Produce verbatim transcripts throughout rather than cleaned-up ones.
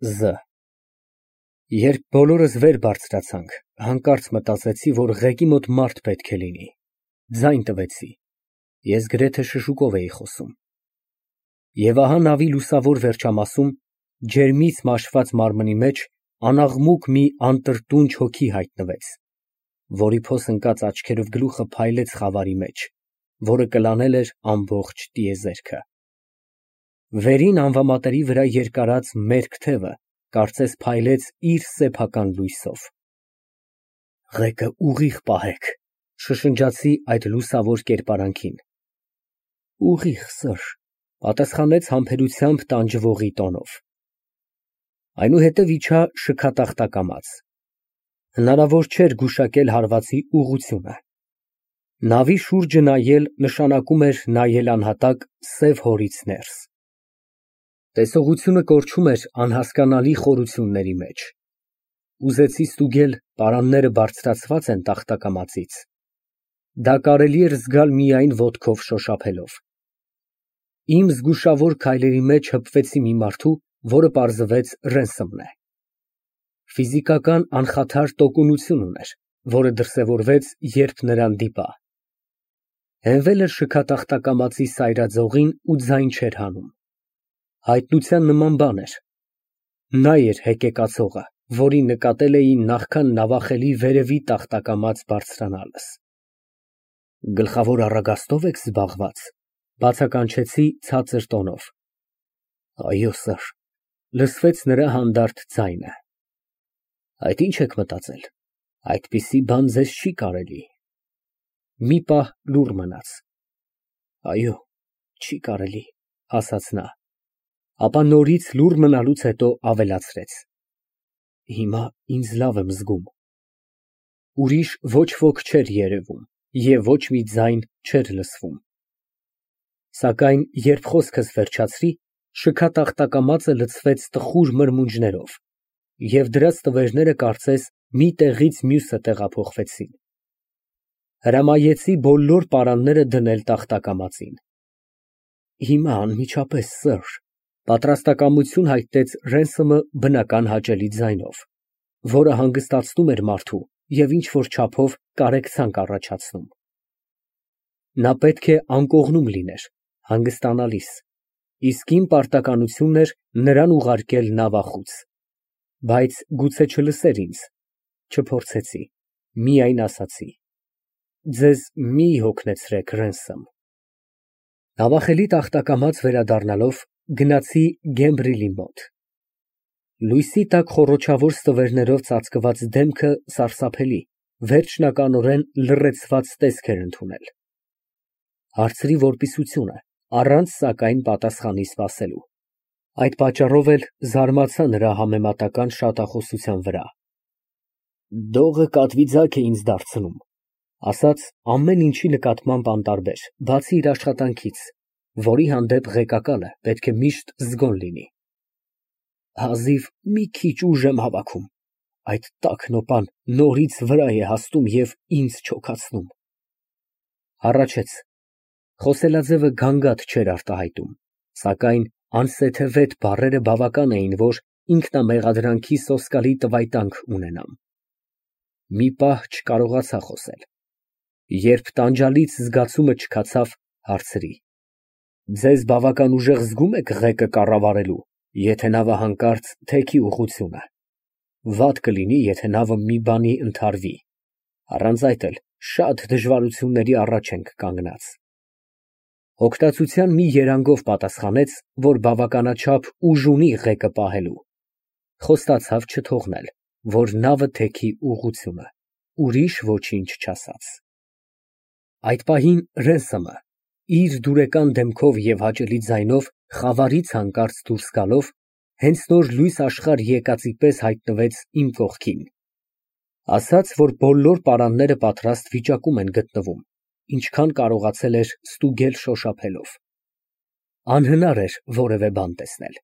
Զ Երբ բոլորս վեր բարձրացանք, հանկարծ մտածեցի, որ ղեկի մոտ մարդ պետք է լինի, ձայն տվեցի, ես գրեթե շշուկով էի խոսում։ Եվ ահա նավի լուսավոր վերջամասում, ջերմից մաշված մարմնի մեջ անաղմուկ մի անտրտունջ հոգի հայտնվեց, որի փոս ընկած աչքերով գլուխը փայլեց խավարի մեջ, որը կլանել էր ամբողջ տիեզերքը։ Վերին անվամատերի վրա երկարած մերկ թևը կարծես փայլեց իր սեփական լույսով։ Ղեկը ուղիղ պահեք, շշնջացի այդ լուսավոր կերպարանքին։ Ուղիղ, սըր, պատասխանեց համբերությամբ տանջվողի տոնով։ Այնուհետև իջա շքատախտակամած։ Հնարավոր չէր գուշակել հարվածի ուղղությունը։ Նավի շուրջը նայել նշանակում էր նայել անհատակ սև հորից ներս։ Տեսողությունը կորչում էր անհասկանալի խորությունների մեջ։ Ուզեցի ստուգել պարանները բարձրացված են տախտակամածից։ Դա կարելի էր զգալ միայն ոտքով շոշափելով։ Իմ զգուշավոր քայլերի մեջ հպվեցի մի մարդու, որը պարզվեց Ռենսոմն է։ Ֆիզիկական անխաթար տոկունություն ուներ, որը դրսևորվեց, երբ նրան դիպա։ Հենվել էր շքատախտակամածի սայրաձողին ու ձայն չէր հանում։ Հայտնության նման բան էր։ Նա էր հեկեկացողը, որին նկատել էի նախքան նավախելի վերևի տախտակամած բարձրանալս։ Գլխավոր առագաստո՞վ եք զբաղված, բացականչեցի ցածր տոնով։ Այո, սըր, լսվեց նրա հանդարտ ձայնը։ Այդ ինչ եք մտածել, այդպիսի բան ձեզ չի կարելի։ Մի պահ լուռ մնաց։ Այո, չի կարելի, ասաց նա, ապա նորից լուռ մնալուց հետո ավելացրեց. Հիմա ինձ լավ եմ զգում։ Ուրիշ ոչ ոք չէր երևում և ոչ մի ձայն չէր լսվում։ Սակայն երբ խոսքս վերջացրի, շքատախտակամածը լցվեց տխուր մրմունջներով, և դրանց տվերները կարծես մի տեղից մյուսը տեղափոխվեցին։ Հրամայեցի բոլոր պարանները դնել տախտակամածին։ Հիմա անմիջապես, սըր, պատրաստակամություն հայտնեց Ռենսոմը բնական հաճելի ձայնով, որը հանգստացնում էր մարդու և ինչ֊որ չափով կարեկցանք առաջացնում։ Նա պետք է անկողնում լիներ, հանգստանալիս, իսկ իմ պարտականությունն էր նրան ուղարկել նավախոց։ Բայց գուցե չլսեր ինձ, չփորձեցի, միայն ասացի. Ձեզ մի հոգնեցրեք, Ռենսոմ։ Նավախելի տախտակամած վերադառնալով, գնացի Գեմբրիլի մոտ։ Լույսի տակ խոռոչավոր ստվերներով ծածկված դեմքը սարսափելի, վերջնականորեն լռեցված տեսք էր ընդունել։ Հարցրի որպիսությունը, առանց սակայն պատասխանի սպասելու։ Այդ պատճառով էլ զարմացա նրա համեմատական շատախոսության վրա։ Դողը կատվի ձագ է ինձ դարձնում, ասաց ամեն ինչի նկատմամբ անտարբեր, բացի իր աշխատանքից, որի հանդեպ ղեկակալը պետք է միշտ զգոն լինի։ Հազիվ մի քիչ ուժ եմ հավաքում, այդ տաք նոպան նորից վրա է հասնում և ինձ չոքացնում։ Հառաչեց։ Խոսելաձևը գանգատ չէր արտահայտում, սակայն անսեթևետ բառերը բավական էին, որ ինքնամեղադրանքի սոսկալի տվայտանք ունենամ։ Մի պահ չկարողացա խոսել։ Երբ տանջալից զգացումը չքացավ, հարցրի. Ձեզ բավական ուժեղ զգում եք ղեկը կառավարելու, եթե նավը հանկարծ թեքի ուղղությունը։ Վատ կլինի, եթե նավը մի բանի ընդհարվի, առանց այդ էլ շատ դժվարությունների առաջ ենք կանգնած։ Հոգտացության մի երանգով պատասխանեց, որ բավականաչափ ուժ ունի ղեկը պահելու։ Խոստացավ չթողնել, որ նավը թեքի ուղղությունը, ուրիշ ոչինչ չասաց։ Այդ պահին Ռենսոմը, իր դուրեկան դեմքով և հաճելի ձայնով խավարից հանկարծ դուրս գալով, հենց նոր լույս աշխարհ եկածի պես հայտնվեց իմ կողքին։ Ասաց, որ բոլոր պարանները պատրաստ վիճակում են գտնվում, ինչքան կարողացել էր ստուգել շոշափելով։ Անհնար էր որևէ բան տեսնել։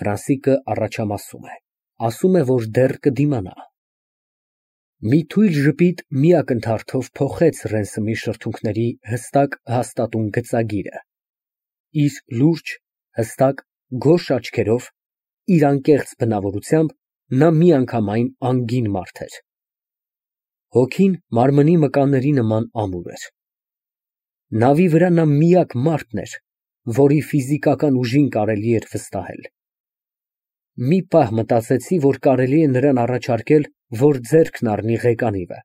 Ֆրանսիկը առաջամասում է, ասում է, որ դեռ կդիմանա։ Մի թույլ ժպիտ մի ակնթարթով փոխեց Ռենսոմի շրթունքների հստակ հաստատուն գծագիրը։ Իր լուրջ, հստակ, գորշ աչքերով, իր անկեղծ բնավորությամբ նա միանգամայն անգին մարդ էր։ Հոգին մարմնի մկանների նման ամուր էր։ Նավի վրա նա միակ մարդն էր, որի ֆիզիկական ուժին կարելի էր վստահել։ Մի պահ մտածեցի, որ կարելի է նրան առաջարկել, որ ձեռքն առնի ղեկանիվը,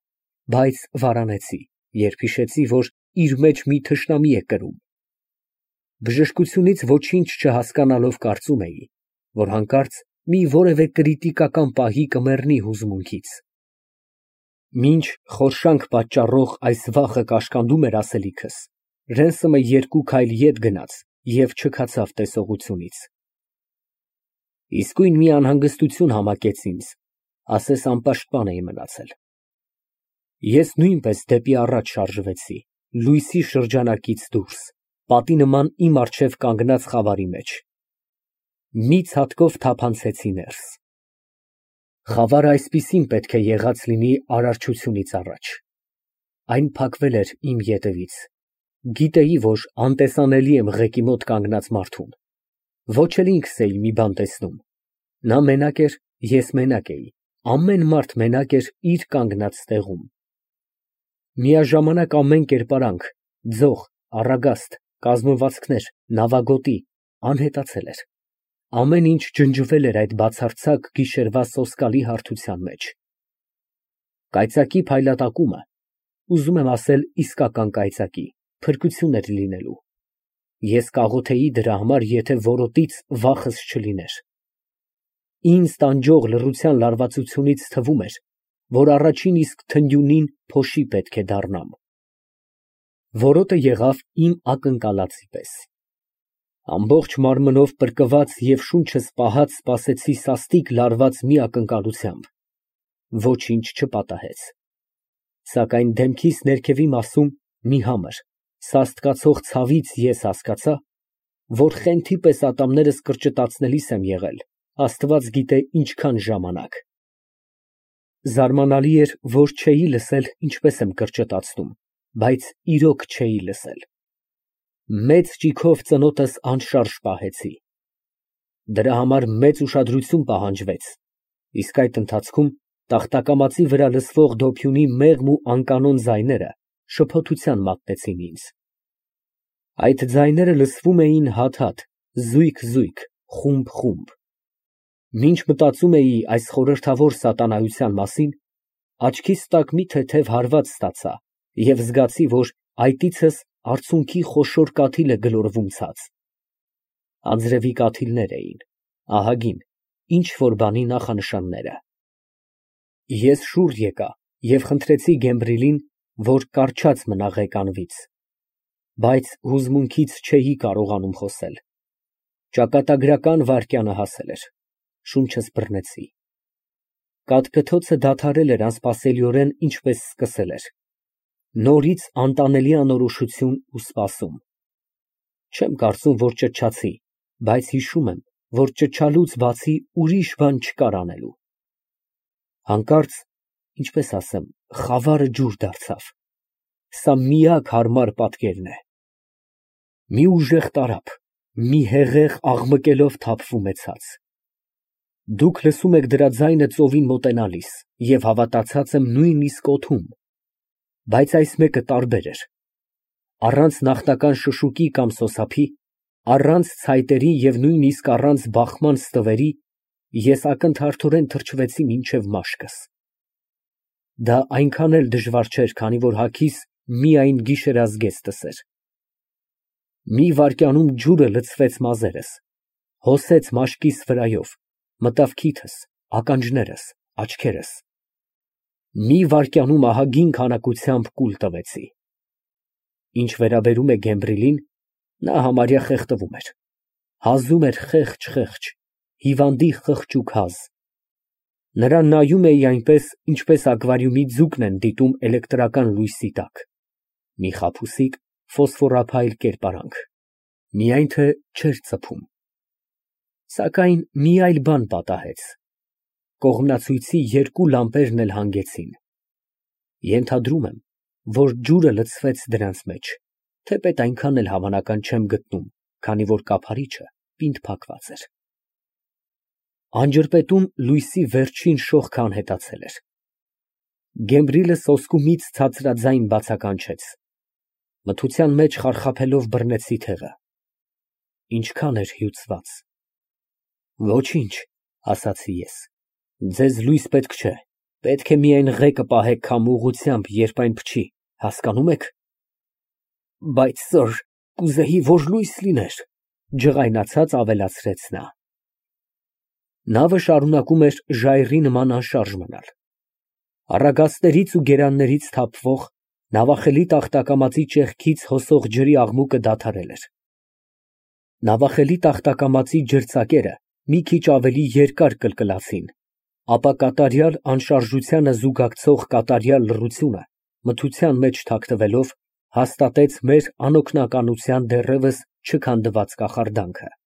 բայց վարանեցի, երբ հիշեցի, որ իր մեջ մի թշնամի է կրում։ Բժշկությունից ոչինչ չհասկանալով կարծում էի, որ հանկարծ մի որևէ կրիտիկական պահի կմեռնի հուզմունքից։ Մինչ խորշանք պատճառող այս վախը կաշկանդում էր ասելիքս, Ռենսոմը երկու քայլ ետ գնաց և չքացավ տեսողությունից։ Իսկույն մի անհանգստություն համակեց ինձ, ասես անպաշտպան էի մնացել։ Ես նույնպես դեպի առաջ շարժվեցի, լույսի շրջանակից դուրս, պատի նման իմ առջև կանգնած խավարի մեջ։ Մի ցատկով թափանցեցի ներս։ Խավարը այսպիսին պետք է եղած լինի արարչությունից առաջ։ Այն փակվել էր իմ ետևից։ Գիտեի, որ անտեսանելի եմ ղեկի մոտ կանգնած մարդուն։ Ոչ էլ ինքս էի մի բան տեսնում։ Նա մենակ էր, ես մենակ էի, ամեն մարդ մենակ էր իր կանգնած տեղում։ Միաժամանակ ամեն կերպարանք, ձող, առագաստ, կազմվածքներ, նավագոտի անհետացել էր։ Ամեն ինչ ջնջվել էր այդ բացարձակ գիշերվա սոսկալի հարթության մեջ։ Կայծակի փայլատակումը, ուզում եմ ասել իսկական կայծակի, փրկություն էր լինելու։ Ես կաղոթեի դրա համար, եթե որոտից վախս չլիներ։ Ինձ տանջող լռության լարվածությունից թվում էր, որ առաջին իսկ թնդյունին փոշի պետք է դառնամ։ Որոտը եղավ իմ ակնկալածի պես։ Ամբողջ մարմնով պրկված և շունչս պահած սպասեցի սաստիկ լարված մի ակնկալությամբ։ Ոչինչ չպատահեց։ Սակայն դեմքիս ներքևի մասում մի համր, սաստկացող ցավից ես հասկացա, որ խենթի պես ատամներս կրճտացնելիս եմ եղել, Աստված գիտե ինչքան ժամանակ։ Զարմանալի էր, որ չէի լսել ինչպես եմ կրճտացնում, բայց իրոք չէի լսել։ Մեծ ճիգով ծնոտս անշարժ պահեցի։ Դրա համար մեծ ուշադրություն պահանջվեց, իսկ այդ ընթացքում տախտակամածի վրա լսվող դոփյունի մեղմ ու անկանոն ձայները շփոթության մատնեցին ինձ։ Այդ ձայները լսվում էին հատ֊հատ, զույգ֊զույգ, խումբ֊խումբ։ Մինչ մտածում էի այս խորհրդավոր սատանայության մասին, աչքիս տակ մի թեթև հարված ստացա և զգացի, որ այտիցս արցունքի խոշոր կաթիլ է գլորվում ցած։ Անձրևի կաթիլներ էին, ահագին, ինչ֊որ բանի նախանշանները։ Ես շուռ եկա և խնդրեցի Գեմբրիլին, որ կառչած մնա ղեկանվից, բայց հուզմունքից չէի կարողանում խոսել։ Ճակատագրական վայրկյանը հասել էր, շունչս բռնեցի։ Կաթկթոցը դադարել էր անսպասելիորեն, ինչպես սկսել էր։ Նորից անտանելի անորոշություն ու սպասում։ Չեմ կարծում, որ ճչացի, բայց հիշում եմ, որ ճչալուց բացի ուրիշ բան չկար անելու։ Հանկարծ, ինչպես ասեմ, խավարը ջուր դարձավ։ Սա միակ հարմար պատկերն է։ Մի ուժեղ տարափ, մի հեղեղ աղմկելով թափվում է ցած։ Դուք լսում եք դրա ձայնը ծովին մոտենալիս և հավատացած եմ նույնիսկ օդում, բայց այս մեկը տարբեր էր։ Առանց նախնական շշուկի կամ սոսափի, առանց ցայտերի և նույնիսկ առանց բախման ստվերի, ես ակնթարթորեն թրջվեցի մինչև մաշկս։ Դա այնքան էլ դժվար չէր, քանի որ հագիս միայն գիշերազգեստ էր։ Մի վայրկյանում ջուրը լցվեց մազերս, հոսեց մաշկիս վրայով, մտավ քիթս, ականջներս, աչքերս։ Մի վայրկյանում ահագին քանակությամբ կուլ տվեցի։ Ինչ վերաբերում է Գեմբրիլին, նա համարյա խեղդվում էր, հազում էր խեղճ֊խեղճ, հիվանդի խղճուկ հազ։ Նրան նայում էի այնպես, ինչպես ակվարիումի ձուկն են դիտում էլեկտրական լույսի տակ, մի խաբուսիկ ֆոսֆորափայլ կերպարանք, միայն թե չէր ծփում։ Սակայն մի այլ բան պատահեց. կողմնացույցի երկու լամպերն էլ հանգեցին։ Ենթադրում եմ, որ ջուրը լցվեց դրանց մեջ, թեպետ այնքան էլ հավանական չեմ գտնում, քանի որ կափարիչը պինդ փակված էր։ Անջրպետում լույսի վերջին շողքը անհետացել էր։ Գեմբրիլը սոսկումից ցածրաձայն բացականչեց։ Մթության մեջ խարխափելով բռնեցի թեղը։ Ինչքան էր հյուծված։ Ոչինչ, ասացի ես, ձեզ լույս պետք չէ, պետք է միայն ղեկը պահեք քամու ուղղությամբ, երբ այն փչի, հասկանո՞ւմ եք։ Բայց սըր, կուզեի, որ լույս լիներ, ջղայնացած ավելացրեց նա։ Նավը շարունակում էր ժայռի նման անշարժ մնալ։ Առագաստներից ու գերաններից թափվող, նավախելի տախտակամածի ճեղքից հոսող ջրի աղմուկը դադարել էր։ Նավախելի տախտակամածի ջրծակերը մի քիչ ավելի երկար կլկլացին, ապա կատարյալ անշարժությանը զուգակցող կատարյալ լռությունը, մթության մեջ թաքնվելով, հաստատեց մեր անօգնականության դեռևս չքանդված կախարդանքը։